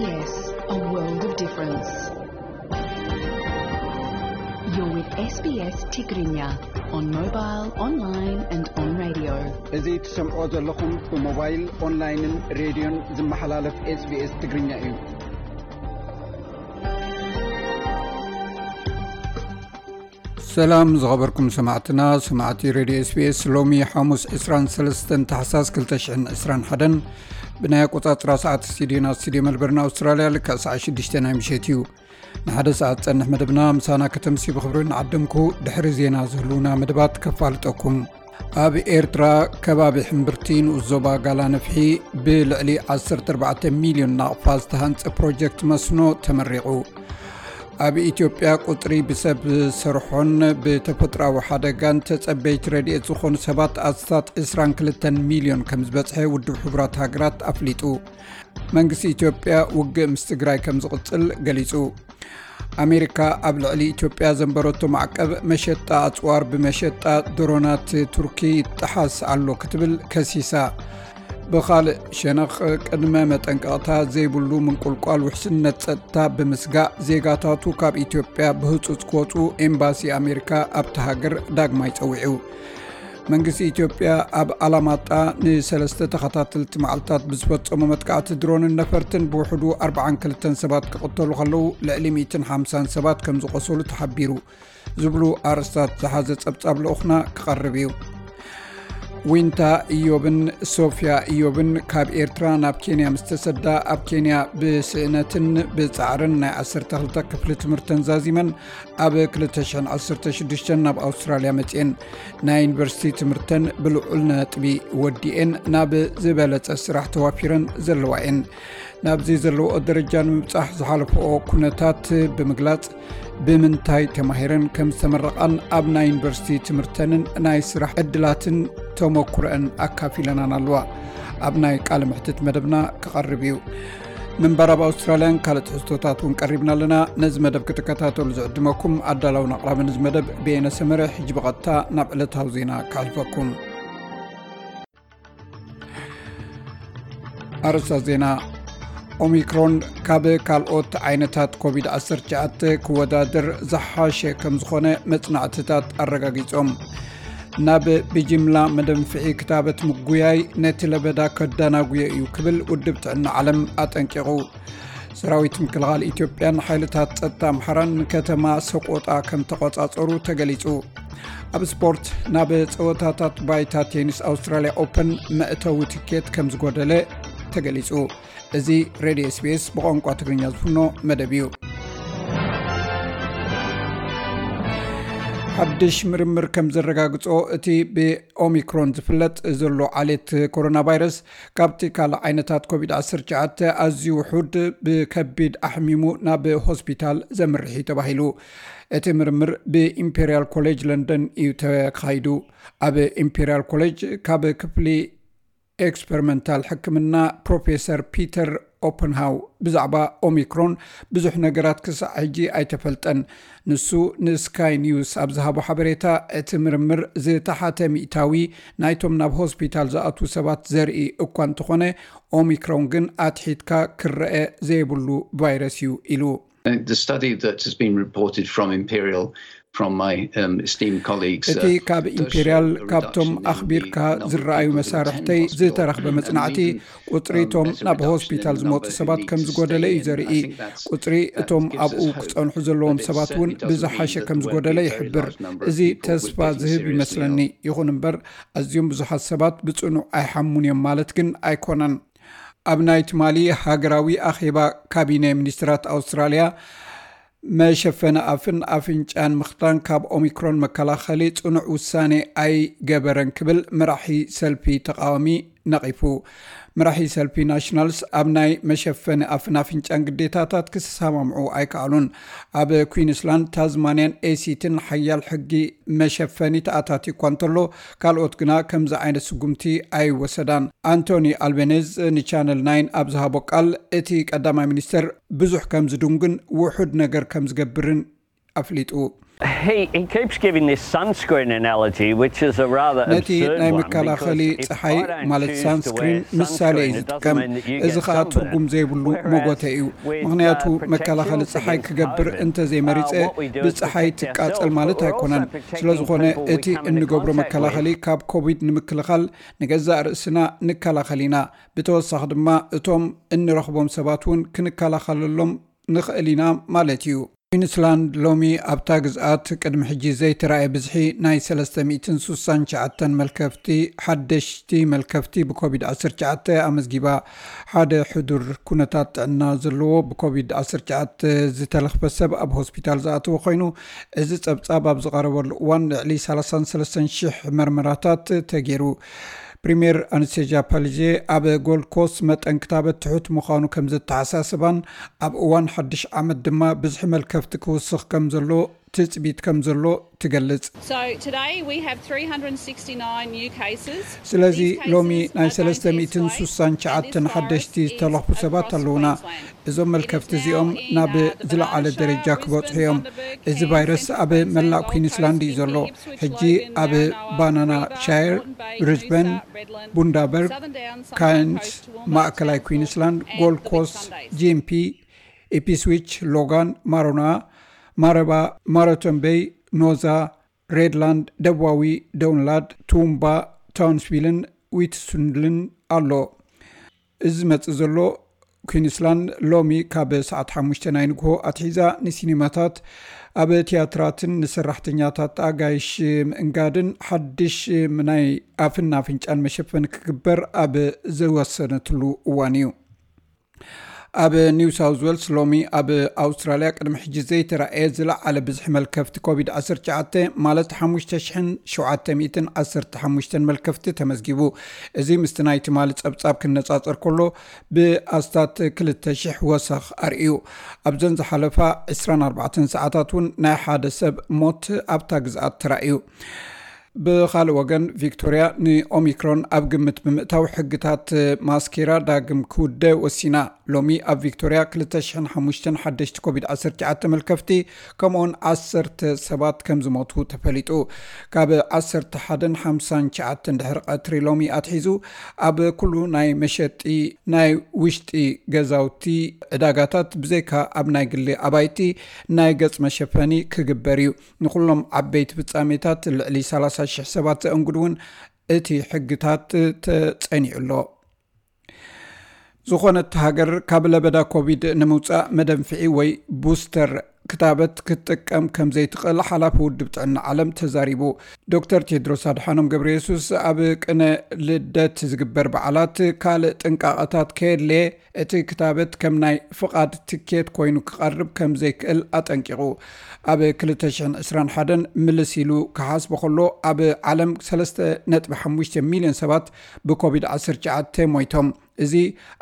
Yes, a world of difference. You're with S B S Tigrinya on mobile, online and on radio. እዚ ትሰምዖ ዘለኹም ብሞባይል፣ ኦንላይንን ሬድዮን ዝመሓላለፍ SBS ትግርኛ እዩ። ሰላም ዝኸበርኩም ሰማዕትና፣ ሰማዕቲ ሬድዮ SBS። ሎሚ ሓሙስ ዕስራን ሰለስተን ታሕሳስ ክልተ ሽሕን ዕስራን ሓደን ብናይ ኣቆጻጽራ ሰዓት ስቱዲዮና፣ ስቱዲዮ መልበርን ኣውስትራልያ፣ ልክዕ ሰዓት ሽዱሽተ ናይ ምሸት እዩ። ንሓደ ሰዓት ጸንሕ መደብና ምሳና ከተምሲ ብኽብሪ ንዓደምኩ። ድሕሪ ዜና ዝህልውና መደባት ከፋልጠኩም። ኣብ ኤርትራ ከባቢ ሕምብርቲ ንኡስ ዞባ ጋላ ነፍሒ ብልዕሊ ዓሰርተ ኣርባዕተ ሚልዮን ናቕፋ ዝተሃንጸ ፕሮጀክት መስኖ ተመሪቑ። ኣብ ኢትዮጵያ ቁጽሪ ብሰብ ዝሰርሖን ብተፈጥሮኣዊ ሓደጋን ተጸበይቲ ረድኤት ዝኾኑ ሰባት ኣስታት ዕስራን ክልተን ሚልዮን ከም ዝበጽሐ ውድብ ሕቡራት ሃገራት ኣፍሊጡ። መንግስቲ ኢትዮጵያ ውግእ ምስ ትግራይ ከም ዝቕጽል ገሊጹ። ኣሜሪካ ኣብ ልዕሊ ኢትዮጵያ ዘንበረቶ ማዕቀብ መሸጣ ኣጽዋር ብመሸጣ ድሮናት ቱርኪ ይጠሓስ ኣሎ ክትብል ከሲሳ። ብኻልእ ሸነኽ፣ ቅድመ መጠንቀቕታ ዘይብሉ ምንቁልቋል ውሕስነት ጸጥታ ብምስጋእ ዜጋታቱ ካብ ኢትዮጵያ ብህጹጽ ክወጹ ኤምባሲ ኣሜሪካ ኣብቲ ሃገር ዳግማይ ጸዊዑ። መንግስቲ ኢትዮጵያ ኣብ ኣላማጣ ንሰለስተ ተኸታተልቲ መዓልታት ብዝፈጸሞ መጥቃዕቲ ድሮንን ነፈርትን ብውሕዱ ኣርባዓን ክልተን ሰባት ክቕተሉ ከለዉ፣ ልዕሊ ሚእትን ሓምሳን ሰባት ከም ዝቖሰሉ ተሓቢሩ። ዝብሉ ኣርእስታት ዝሓዘ ጸብጻብ ልኡኽና ክቐርብ እዩ። ዊንታ ኢዮብን ሶፊያ ኢዮብን ካብ ኤርትራ ናብ ኬንያ ምስ ተሰዳ፣ ኣብ ኬንያ ብስእነትን ብጻዕርን ናይ ዓሰርተ ክልተ ክፍሊ ትምህርተን ዛዚመን፣ ኣብ ክልተ ሽሕን ዓሰርተ ሽዱሽተን ናብ ኣውስትራልያ መጺኤን። ናይ ዩኒቨርሲቲ ትምህርተን ብልዑል ነጥቢ ወዲኤን ናብ ዝበለጸ ስራሕ ተዋፊረን ዘለዋ እየን። ናብዚ ዘለውኦ ደረጃ ንምብጻሕ ዝሓለፈኦ ኩነታት ብምግላጽ፣ ብምንታይ ተማሂረን ከም ዝተመረቓን ኣብ ናይ ዩኒቨርሲቲ ትምህርተንን ናይ ስራሕ ዕድላትን ተመኩረአን ኣካፊለናን ኣለዋ። ኣብ ናይ ቃለ መሕትት መደብና ክቐርብ እዩ። ምንባር ኣብ ኣውስትራልያን ካልእ ትሕዝቶታት እውን ቀሪብና ኣለና። ነዚ መደብ ክትከታተሉ ዝዕድመኩም ኣዳላውን ኣቕራብን እዚ መደብ በየነ ሰመረ። ሕጂ ብቐጥታ ናብ ዕለታዊ ዜና ከሕልፈኩም። ኣርእስታት ዜና። ኦሚክሮን ካብ ካልኦት ዓይነታት ኮቪድ ዓሰርተ ትሽዓተ ክወዳደር ዝሓሸ ከም ዝኾነ መጽናዕትታት ኣረጋጊጾም። ናብ ብጅምላ መደንፍዒ ክታበት ምጉያይ ነቲ ለበዳ ከዳናጉዮ እዩ ክብል ውድብ ጥዕና ዓለም ኣጠንቂቑ። ሰራዊት ምክልኻል ኢትዮጵያን ሓይልታት ጸጥታ ኣምሓራን ንከተማ ሰቆጣ ከም ተቖጻጸሩ ተገሊጹ። ኣብ ስፖርት፣ ናብ ጸወታታት ባይታ ቴኒስ ኣውስትራልያ ኦፐን መእተዊ ትኬት ከም ዝጎደለ ተገሊጹ። እዚ ሬድዮ SBS ብቋንቋ ትግርኛ ዝፍኖ መደብ እዩ። ሓድሽ ምርምር ከም ዘረጋግጾ፣ እቲ ብኦሚክሮን ዝፍለጥ ዘሎ ዓሌት ኮሮና ቫይረስ ካብቲ ካልእ ዓይነታት ኮቪድ ዓሰርተ ትሽዓተ ኣዝዩ ውሑድ፣ ብከቢድ ኣሕሚሙ ናብ ሆስፒታል ዘምርሕ እዩ ተባሂሉ። እቲ ምርምር ብኢምፔርያል ኮሌጅ ለንደን እዩ ተኻይዱ። ኣብ ኢምፔርያል ኮሌጅ ካብ ክፍሊ ኤክስፐሪመንታል ሕክምና ፕሮፌሰር ፒተር ኦፐንሃው ብዛዕባ ኦሚክሮን ብዙሕ ነገራት ክሳዕ ሕጂ ኣይተፈልጠን። ንሱ ንስካይ ኒውስ ኣብ ዝሃቦ ሓበሬታ፣ እቲ ምርምር ዝተሓተ ሚእታዊ ናይቶም ናብ ሆስፒታል ዝኣትዉ ሰባት ዘርኢ እኳ እንተኾነ፣ ኦሚክሮን ግን ኣትሒትካ ክረአ ዘይብሉ ቫይረስ እዩ ኢሉ። The study that has been reported from Imperial, from my, um, esteemed colleagues, እቲ uh, ካብ does ኢምፔርያል show a ካብቶም reduction in ኣኽቢርካ the number of ዝረኣዩ people who attend መሳርሕተይ hospital ዝተረኽበ and መጽናዕቲ even, ቁጽሪ um, እቶም as a ናብ reduction in ሆስፒታል the ዝመጹ number ሰባት who ከም need to ዝጎደለ እዩ stay in. ዘርኢ። I think that's, ቁጽሪ that እቶም gives ኣብኡ us hope, ክጸንሑ ዘለዎም but it ሰባት እውን certainly doesn't ብዝሓሸ mean that ከም there won't ዝጎደለ be a very ይሕብር። large number of እዚ people with ተስፋ getting ዝህብ seriously ይመስለኒ። Ill. ይኹን እምበር፣ ኣዝዮም ብዙሓት ሰባት ብጽኑዕ ኣይሓሙን እዮም ማለት ግን ኣይኮነን። ኣብ ናይ ትማሊ ሃገራዊ ኣኼባ ካቢነ ሚኒስትራት ኣውስትራልያ፣ መሸፈኒ ኣፍን ኣፍንጫን ምኽዳን ካብ ኦሚክሮን መከላኸሊ ጽኑዕ ውሳኔ ኣይገበረን ክብል መራሒ ሰልፊ ተቓዋሚ ነቒፉ። መራሒ ሰልፊ ናሽናልስ ኣብ ናይ መሸፈኒ ኣፍን ኣፍንጫን ግዴታታት ክሰማምዑ ኣይከኣሉን። ኣብ ኩዊንስላንድ፣ ታዝማንያን ኤሲትን ሓያል ሕጊ መሸፈኒ ተኣታትዩ እኳ እንተሎ፣ ካልኦት ግና ከምዚ ዓይነት ስጉምቲ ኣይወሰዳን። ኣንቶኒ ኣልቤኔዝ ንቻነል ናይን ኣብ ዝሃቦ ቃል፣ እቲ ቀዳማይ ሚኒስተር ብዙሕ ከም ዝድንጉን ውሑድ ነገር ከም ዝገብርን ኣፍሊጡ። He, he keeps giving this sunscreen analogy, which is a rather ነቲ absurd ናይ one, መከላኸሊ because if ፀሓይ I don't ማለት choose to ሳንስክሪን wear ምሳሌ እዩ sunscreen, it ዝጥቀም። doesn't mean that you እዚ get ከዓ sunburn. ትርጉም ዘይብሉ Whereas መጎተ እዩ። with, ምክንያቱ uh, protection መከላኸሊ ፀሓይ against ክገብር COVID, እንተዘይመሪፀ uh, what we do is ብፀሓይ protect ትቃፀል ourselves, ማለት but we're also ኣይኮነን። protecting ስለዝኾነ people we እቲ come into እንገብሮ contact መከላኸሊ with. ካብ ኮቪድ ንምክልኻል ንገዛእ ርእስና ንከላኸል ኢና። ብተወሳኺ ድማ እቶም እንረኽቦም ሰባት እውን ክንከላኸለሎም ንኽእል ኢና ማለት እዩ። ኩዊንስላንድ ሎሚ ኣብታ ግዝኣት ቅድሚ ሕጂ ዘይተራእየ ብዝሒ ናይ ሰለስተ ሚእትን ስሳን ትሽዓተን መልከፍቲ፣ ሓደሽቲ መልከፍቲ ብኮቪድ ዓሰርተ ትሽዓተ ኣመዝጊባ። ሓደ ሕዱር ኩነታት ጥዕና ዘለዎ ብኮቪድ ዓሰርተ ትሽዓተ ዝተለኽፈ ሰብ ኣብ ሆስፒታል ዝኣተወ ኮይኑ፣ እዚ ጸብጻብ ኣብ ዝቐረበሉ እዋን ልዕሊ ሰላሳን ሰለስተን ሽሕ መርመራታት ተገይሩ። ፕሪምየር ኣነስቴዥያ ፓሊዜ ኣብ ጎልድ ኮስት መጠን ክታበት ትሑት ምዃኑ ከም ዘተሓሳስባን ኣብ እዋን ሓድሽ ዓመት ድማ ብዝሒ መልከፍቲ ክውስኽ ከም ዘሎ ትጽቢት ከም ዘሎ ትገልጽ። So today we have three hundred sixty-nine new cases. ስለዚ These cases ሎሚ ናይ are going to be ሰለስተ ሚእትን ስሳን ትሽዓተን ሓደሽቲ ዝተለኽፉ ሰባት ኣለውና። እዞም መልከፍቲ እዚኦም ናብ ዝለዓለ ደረጃ ክበጽሑ እዮም። እዚ ቫይረስ ኣብ መላእ ኩዊንስላንድ እዩ ዘሎ። ሕጂ ኣብ ባናና ሻየር፣ ብሪዝበን፣ ቡንዳበርግ፣ ካይንስ፣ ማእከላይ ኩዊንስላንድ፣ ጎልድ ኮስት፣ ጂምፒ፣ ኢፕስዊች፣ ሎጋን፣ ማሮና፣ ማረባ፣ ማራቶን ቤይ፣ ኖዛ፣ ሬድላንድ፣ ደቡባዊ ዶውንላድ፣ ቱምባ፣ ታውንስቪልን ዊትሱንድልን ኣሎ። እዚ ዝመጽእ ዘሎ ኩዊንስላንድ ሎሚ ካብ ሰዓት ሓሙሽተ ናይ ንግሆ ኣትሒዛ ንሲኒማታት፣ ኣብ ትያትራትን ንሰራሕተኛታት ኣጋይሽ ምእንጋድን ሓድሽ ናይ ኣፍን ኣፍንጫን መሸፈኒ ክግበር ኣብ ዝወሰነትሉ እዋን እዩ። ኣብ ኒው ሳውዝ ዌልስ ሎሚ ኣብ ኣውስትራልያ ቅድሚ ሕጂ ዘይተራእየ ዝለዓለ ብዝሒ መልከፍቲ ኮቪድ ዓሰርተ ትሽዓተ ማለት ሓሙሽተ ሽሕን ሸውዓተ ሚእትን ዓሰርተ ሓሙሽተን መልከፍቲ ተመዝጊቡ። እዚ ምስቲ ናይ ትማሊ ጸብጻብ ክነጻጸር ከሎ ብኣስታት ክልተ ሽሕ ወሰኽ ኣርእዩ። ኣብዘን ዝሓለፋ ዕስራን ኣርባዕተን ሰዓታት እውን ናይ ሓደ ሰብ ሞት ኣብታ ግዝኣት ተራእዩ። ብኻልእ ወገን ቪክቶርያ ንኦሚክሮን ኣብ ግምት ብምእታው ሕግታት ማስኬራ ዳግም ክውደ ወሲና። ሎሚ ኣብ ቪክቶርያ ክልተ ሽሕን ሓሙሽተን ሓደሽቲ ኮቪድ ዓሰርተ ትሽዓተ መልከፍቲ ከምኡውን ዓሰርተ ሰባት ከም ዝሞቱ ተፈሊጡ። ካብ ዓሰርተ ሓደን ሓምሳን ትሽዓተን ድሕሪ ቀትሪ ሎሚ ኣትሒዙ ኣብ ኩሉ ናይ መሸጢ ናይ ውሽጢ ገዛውቲ ዕዳጋታት ብዘይካ ኣብ ናይ ግሊ ኣባይቲ ናይ ገጽ መሸፈኒ ክግበር እዩ። ንኹሎም ዓበይቲ ፍጻሜታት ልዕሊ ሰላሳ ሽሕ ሰባት ዘእንግድ እውን እቲ ሕግታት ተጸኒዑ ኣሎ። ዝኾነት ሃገር ካብ ለበዳ ኮቪድ ንምውጻእ መደንፍዒ ወይ ቡስተር ክታበት ክትጥቀም ከም ዘይትኽእል ሓላፊ ውድብ ጥዕና ዓለም ተዛሪቡ። ዶክተር ቴድሮስ ኣድሓኖም ገብረ የሱስ ኣብ ቅነ ልደት ዝግበር በዓላት ካልእ ጥንቃቐታት ከየድለየ እቲ ክታበት ከም ናይ ፍቓድ ትኬት ኮይኑ ክቐርብ ከም ዘይክእል ኣጠንቂቑ። ኣብ ክልተ ሽሕን ዕስራን ሓደን ምልስ ኢሉ ክሓስቦ ከሎ ኣብ ዓለም ሰለስተ ነጥቢ ሓሙሽተ ሚልዮን ሰባት ብኮቪድ ዓሰርተ ትሽዓተ ሞይቶም። እዚ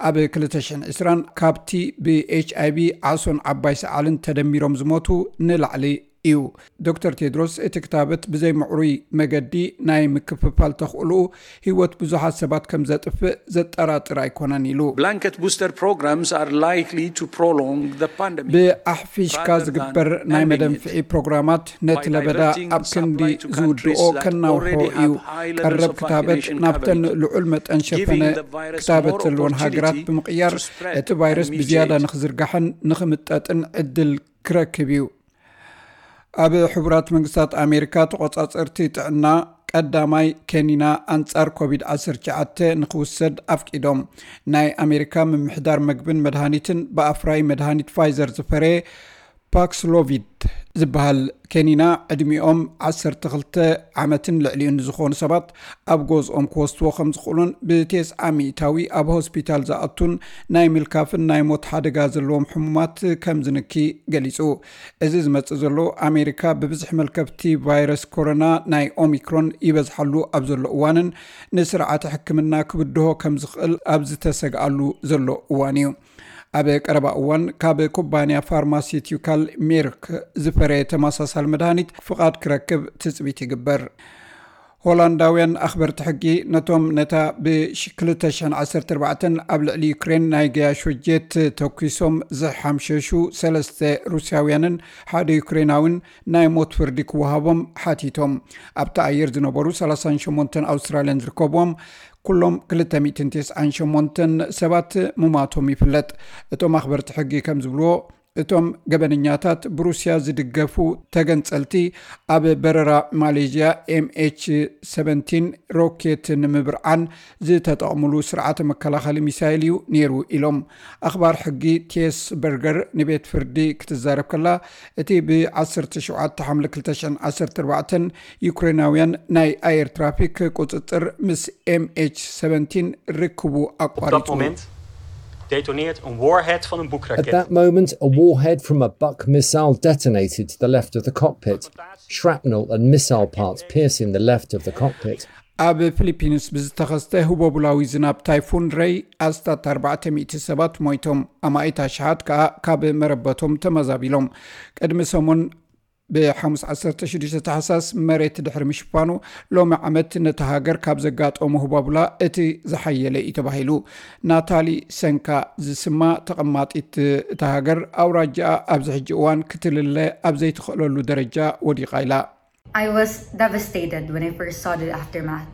ኣብ ክልተ ሽሕን ዕስራን ካብቲ ብኤች ኣይ ቪ ዓሶን ዓባይ ሰዓልን ተደሚሮም ዝሞቱ ንላዕሊ እዩ። ዶክተር ቴድሮስ እቲ ክታበት ብዘይ ምዕሩይ መገዲ ናይ ምክፍፋል ተኽእልኡ ህይወት ብዙሓት ሰባት ከም ዘጥፍእ ዘጠራጥር ኣይኮነን ኢሉ። Blanket booster programs are likely to prolong the pandemic. ብኣሕፊሽካ ዝግበር ናይ መደንፍዒ ፕሮግራማት ነቲ ለበዳ ኣብ ክንዲ ዝውድኦ ከናውሖ እዩ። ቀረብ ክታበት ናብተን ልዑል መጠን ሸፈነ ክታበት ዘለወን ሃገራት ብምቕያር እቲ ቫይረስ ብዝያዳ ንኽዝርጋሕን ንኽምጠጥን ዕድል ክረክብ እዩ። ኣብ ሕቡራት መንግስታት ኣሜሪካ ተቖጻጸርቲ ጥዕና ቀዳማይ ከኒና ኣንጻር ኮቪድ ዓሰርተ ትሽዓተ ንኽውሰድ ኣፍቂዶም። ናይ ኣሜሪካ ምምሕዳር መግብን መድሃኒትን ብኣፍራይ መድሃኒት ፋይዘር ዝፈረየ ፓክስሎቪድ ዝበሃል ከኒና ዕድሚኦም ዓሰርተ ክልተ ዓመትን ልዕሊኡን ዝኾኑ ሰባት ኣብ ገዝኦም ክወስድዎ ከም ዝኽእሉን ብቴስዓ ሚእታዊ ኣብ ሆስፒታል ዝኣቱን ናይ ምልካፍን ናይ ሞት ሓደጋ ዘለዎም ሕሙማት ከም ዝንኪ ገሊጹ። እዚ ዝመጽእ ዘሎ ኣሜሪካ ብብዝሒ መልከፍቲ ቫይረስ ኮሮና ናይ ኦሚክሮን ይበዝሓሉ ኣብ ዘሎ እዋንን ንስርዓተ ሕክምና ክብድሆ ከም ዝኽእል ኣብ ዝተሰግኣሉ ዘሎ እዋን እዩ። ኣብ ቀረባ እዋን ካብ ኩባንያ ፋርማሲቲካል ሜርክ ዝፈረየ ተመሳሳሊ መድሃኒት ፍቓድ ክረክብ ትጽቢት ይግበር። ሆላንዳውያን ኣኽበርቲ ሕጊ ነቶም ነታ ብ ክልተ ሽሕን ዓሰርተ ኣርባዕተን ኣብ ልዕሊ ዩክሬን ናይ ገያሾ ጀት ተኩሶም ዝሓምሸሹ ሰለስተ ሩስያውያንን ሓደ ዩክሬናውን ናይ ሞት ፍርዲ ክወሃቦም ሓቲቶም። ኣብቲ ኣየር ዝነበሩ ሰላሳን ሸሞንተን ኣውስትራልያን ዝርከብዎም ኩሎም ክልተ ሚእትን ተስዓን ሸሞንተን ሰባት ምማቶም ይፍለጥ። እቶም ኣኽበርቲ ሕጊ ከም ዝብልዎ፣ እቶም ገበነኛታት ብሩስያ ዝድገፉ ተገንጸልቲ ኣብ በረራ ማሌዥያ ኤምኤች ሰቨንቲን ሮኬት ንምብርዓን ዝተጠቕምሉ ስርዓተ መከላኸሊ ሚሳይል እዩ ነይሩ ኢሎም። ኣኽባር ሕጊ ቴስ በርገር ንቤት ፍርዲ ክትዛረብ ከላ፣ እቲ ብ ዓሰርተ ሸውዓተ ሓምለ ክልተ ሽሕን ዓሰርተ ኣርባዕተን ዩክሬናውያን ናይ ኣየር ትራፊክ ቁጽጽር ምስ ኤምኤች ሰቨንቲን ርክቡ ኣቋሪጹ። Detoneert een warhead van een At that moment, a warhead from a Buk missile detonated to the left of the cockpit. Shrapnel and missile parts piercing the left of the cockpit. ኣብ ፊሊፒንስ ብዝተኸስተ ህቦቡላዊ ዝናብ ታይፉን ረይ ኣስታት ኣርባዕተ ሚእቲ ሰባት ሞይቶም፣ ኣማኢት ኣሽሓት ከኣ ካብ መረበቶም ተመዛቢሎም። ቅድሚ ሰሙን ብሓሙስ ዓሰርተ ሽዱሽተ ታሕሳስ መሬት ድሕሪ ምሽፋኑ፣ ሎሚ ዓመት ነቲ ሃገር ካብ ዘጋጠሙ ህባቡላ እቲ ዝሓየለ እዩ ተባሂሉ። ናታሊ ሰንካ ዝስማ ተቐማጢት እታ ሃገር፣ ኣውራጃኣ ኣብዚ ሕጂ እዋን ክትልለ ኣብ ዘይትኽእለሉ ደረጃ ወዲቓ ኢላ። I was devastated when I first saw the aftermath.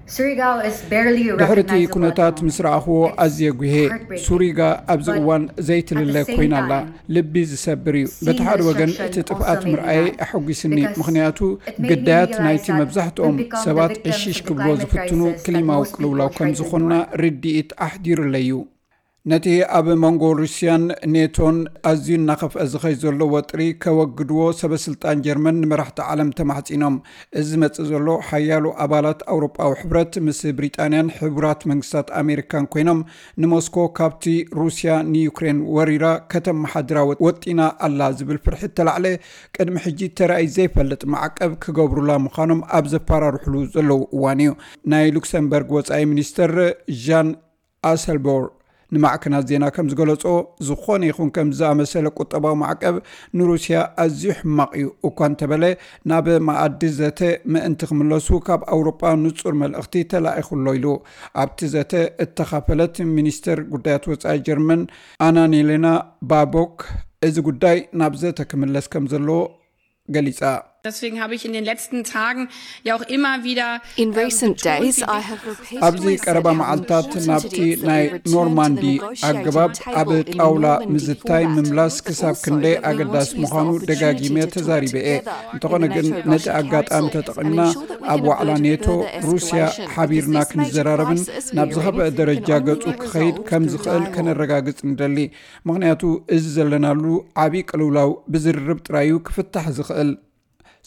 Surigao is barely ድሕርቲ recognizable at ኩነታት the ምስ moment. ረኣኽዎ It's ኣዝየ ጉሄ። heartbreaking. ሱሪጋ ኣብዚ But እዋን at the ዘይትልለ same ኮይና ኣላ። time, ልቢ ዝሰብር እዩ። seeing በቲ the ሓደ ወገን destruction እቲ ጥፍኣት also made me ምርኣየ mad. ኣሐጒስኒ፣ Because ምኽንያቱ it made me ግዳያት realize ናይቲ that መብዛሕትኦም we've become the ሰባት victims ዕሽሽ of the ክብሎ climate ዝፍትኑ crisis that ክሊማዊ most people ቅልውላው ከም try to ዝኾንና ignore. ርድኢት ኣሕዲሩለይ እዩ። ነቲ ኣብ መንጎ ሩስያን ኔቶን ኣዝዩ እናኸፍአ ዝኸይ ዘሎ ወጥሪ ከወግድዎ ሰበ ስልጣን ጀርመን ንመራሕቲ ዓለም ተማሕጺኖም። እዚ ዝመጽእ ዘሎ ሓያሎ ኣባላት ኣውሮጳዊ ሕብረት ምስ ብሪጣንያን ሕቡራት መንግስታት ኣሜሪካን ኮይኖም ንሞስኮ ካብቲ ሩስያ ንዩክሬን ወሪራ ከተመሓድራ ወ- ወጢና ኣላ ዝብል ፍርሒ እተላዕለ ቅድሚ ሕጂ ተራእዩ ዘይፈልጥ ማዕቀብ ክገብሩላ ምዃኖም ኣብ ዘፈራርሕሉ ዘለዉ እዋን እዩ። ናይ ሉክሰምበርግ ወጻኢ ሚኒስተር ዣን ኣሰልቦር ንማዕከናት ዜና ከም ዝገለጾ፣ ዝኾነ ይኹን ከም ዝኣመሰለ ቁጠባዊ ማዕቀብ ንሩስያ ኣዝዩ ሕማቕ እዩ እኳ እንተበለ፣ ናብ መኣዲ ዘተ ምእንቲ ክምለሱ ካብ ኣውሮጳ ንጹር መልእኽቲ ተላኢኹ ኣሎ ኢሉ። ኣብቲ ዘተ እተኻፈለት ሚኒስተር ጉዳያት ወጻኢ ጀርመን ኣናኔሌና ባቦክ፣ እዚ ጉዳይ ናብ ዘተ ክምለስ ከም ዘለዎ ገሊጻ። Deswegen habe ich in den letzten Tagen ja auch immer wieder In recent days, I have repeatedly ኣብዚ ቀረባ መዓልታት ናብቲ ናይ ኖርማንዲ ኣገባብ ኣብ ጣውላ ምዝታይ ምምላስ ክሳብ ክንደይ ኣገዳሲ ምዃኑ ደጋጊመ ተዛሪበ እየ። እንተኾነ ግን ነቲ ኣጋጣሚ ተጠቒምና ኣብ ዋዕላ ኔቶ ሩስያ ሓቢርና ክንዘራረብን ናብ ዝኸፍአ ደረጃ ገጹ ክኸይድ ከም ዝኽእል ከነረጋግጽ ንደሊ። ምኽንያቱ እዚ ዘለናሉ ዓቢ ቅልውላው ብዝርርብ ጥራዩ ክፍታሕ ዝኽእል።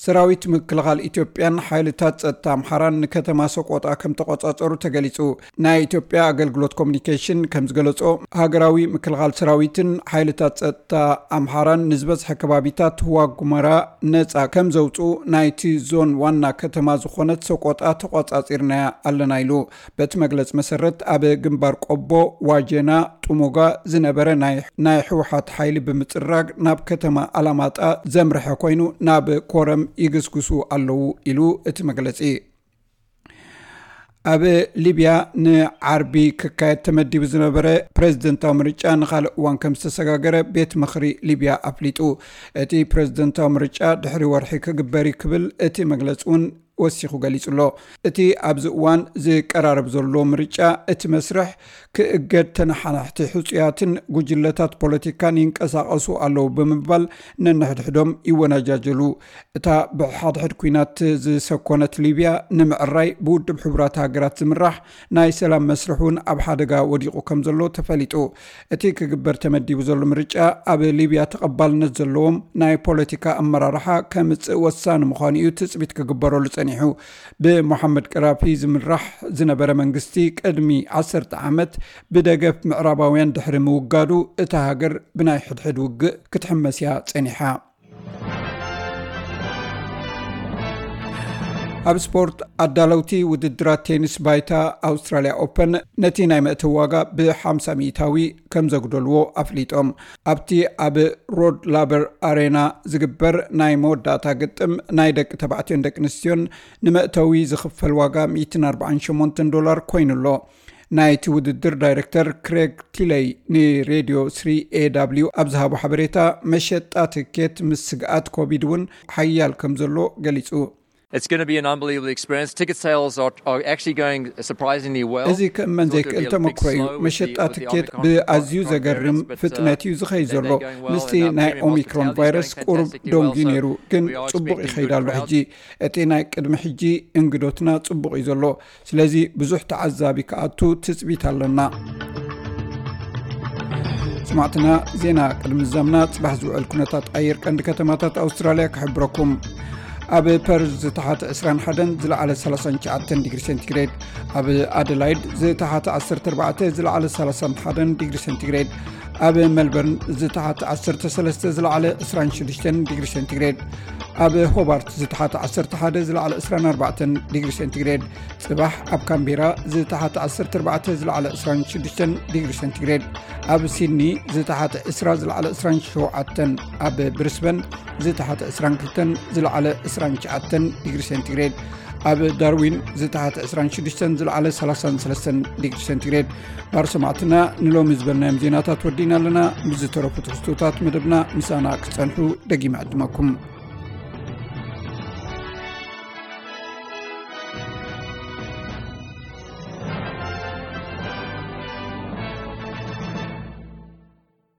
ሰራዊት ምክልኻል ኢትዮጵያን ሓይልታት ጸጥታ ኣምሓራን ንከተማ ሰቆጣ ከም ተቆጻጸሩ ተገሊጹ። ናይ ኢትዮጵያ ኣገልግሎት ኮሚኒኬሽን ከም ዝገለጾ፣ ሃገራዊ ምክልኻል ሰራዊትን ሓይልታት ጸጥታ ኣምሓራን ንዝበዝሐ ከባቢታት ዋጉመራ ነጻ ከም ዘውጽኡ ናይቲ ዞን ዋና ከተማ ዝኾነት ሰቆጣ ተቆጻጺርናያ ኣለና ኢሉ። በቲ መግለጺ መሰረት፣ ኣብ ግንባር ቆቦ፣ ዋጀና፣ ጥሙጋ ዝነበረ ናይ ናይ ህወሓት ሓይሊ ብምጽራግ ናብ ከተማ ኣላማጣ ዘምርሐ ኮይኑ፣ ናብ ኮረም ይግስግሱ ኣለዉ ኢሉ እቲ መግለጺ። ኣብ ሊብያ ንዓርቢ ክካየድ ተመዲቡ ዝነበረ ፕሬዝደንታዊ ምርጫ ንኻልእ እዋን ከም ዝተሰጋገረ ቤት ምኽሪ ሊብያ ኣፍሊጡ። እቲ ፕሬዝደንታዊ ምርጫ ድሕሪ ወርሒ ክግበር እዩ ክብል እቲ መግለጺ እውን ወሲኹ ገሊጹ ኣሎ። እቲ ኣብዚ እዋን ዝቀራረብ ዘሎ ምርጫ፣ እቲ መስርሕ ክእገድ፣ ተነሓናሕቲ ሕጹያትን ጉጅለታት ፖለቲካን ይንቀሳቐሱ ኣለዉ ብምባል ነንሕድሕዶም ይወናጃጀሉ። እታ ብሓድሕድ ኲናት ዝሰኮነት ሊብያ ንምዕራይ ብውድብ ሕቡራት ሃገራት ዝምራሕ ናይ ሰላም መስርሕ እውን ኣብ ሓደጋ ወዲቑ ከም ዘሎ ተፈሊጡ። እቲ ክግበር ተመዲቡ ዘሎ ምርጫ ኣብ ሊብያ ተቐባልነት ዘለዎም ናይ ፖለቲካ ኣመራርሓ ከምጽእ ወሳኒ ምዃኑ እዩ ትጽቢት ክግበረሉ ጸኒሑ። ብሞሓመድ ቀራፊ ዝምራሕ ዝነበረ መንግስቲ ቅድሚ ዓሰርተ ዓመት ብደገፍ ምዕራባውያን ድሕሪ ምውጋዱ፣ እታ ሃገር ብናይ ሕድሕድ ውግእ ክትሕመስ እያ ጸኒሓ። ኣብ ስፖርት፣ ኣዳለውቲ ውድድራት ቴኒስ ባይታ ኣውስትራልያ ኦፐን ነቲ ናይ መእተዊ ዋጋ ብ50 ሚእታዊ ከም ዘጉደልዎ ኣፍሊጦም። ኣብቲ ኣብ ሮድ ላበር ኣሬና ዝግበር ናይ መወዳእታ ግጥም፣ ናይ ደቂ ተባዕትዮን ደቂ ኣንስትዮን ንመእተዊ ዝኽፈል ዋጋ ሚእትን ኣርባዓን ሸሞንተን ዶላር ኮይኑ ኣሎ። ናይቲ ውድድር ዳይሬክተር ክሬግ ቲለይ ንሬድዮ ስሪ ኤ ዳብሊው ኣብ ዝሃቦ ሓበሬታ፣ መሸጣ ትኬት ምስ ስግኣት ኮቪድ እውን ሓያል ከም ዘሎ ገሊጹ። It's going to be an unbelievable experience. Ticket sales are, are actually going surprisingly well. እዚ ክእመን ዘይክእል ተመክሮ እዩ። መሸጣ ትኬት ብኣዝዩ ዘገርም ፍጥነት እዩ ዝኸይድ ዘሎ። ምስቲ ናይ ኦሚክሮን ቫይረስ ቁሩብ ደንጉዩ ነይሩ፣ ግን ጽቡቕ ይኸይድ ኣሎ ሕጂ። እቲ ናይ ቅድሚ ሕጂ እንግዶትና ጽቡቕ እዩ ዘሎ። ስለዚ ብዙሕ ተዓዛቢ ክኣቱ ትጽቢት ኣለና። ስማዕትና፣ ዜና ቅድሚ ዛምና ጽባሕ ዝውዕል ኩነታት ኣየር ቀንዲ ከተማታት ኣውስትራልያ ክሕብረኩም። ኣብ ፐርዝ ዝተሓተ ዕስራን ሓደን ዝለዓለ ሰላሳን ትሽዓተን ዲግሪ ሴንቲግሬድ፣ ኣብ ኣደላይድ ዝተሓተ ዓሰርተ ኣርባዕተ ዝለዓለ ሰላሳን ሓደን ዲግሪ ሴንቲግሬድ፣ ኣብ ሜልበርን ዝተሓተ ዓሰርተ ሰለስተ ዝለዓለ ዕስራን ሽዱሽተን ዲግሪ ሴንቲግሬድ፣ ኣብ ሆባርት ዝተሓተ ዓሰርተ ሓደ ዝለዓለ ዕስራን ኣርባዕተን ዲግሪ ሴንቲግሬድ፣ ጽባሕ ኣብ ካምቤራ ዝተሓተ ዓሰርተ ኣርባዕተ ዝለዓለ ዕስራን ሽዱሽተን ዲግሪ ሴንቲግሬድ፣ ኣብ ሲድኒ ዝተሓተ ዕስራ ዝለዓለ ዕስራን ሸውዓተን፣ ኣብ ብሪስበን ዝተሓተ ዕስራን ክልተን ዝለዓለ ዕስራን ትሽዓተን ዲግሪ ሴንቲግሬድ፣ ኣብ ዳርዊን ዝተሓተ ዕስራን ሽዱሽተን ዝለዓለ ሰላሳን ሰለስተን ዲግሪ ሴንቲግሬድ። ባር ሰማዕትና፣ ንሎሚ ዝበልናዮም ዜናታት ወዲና ኣለና። ምስ ዝተረፉ ትሕዝቶታት መደብና ምሳና ክጸንሑ ደጊመ ዕድመኩም።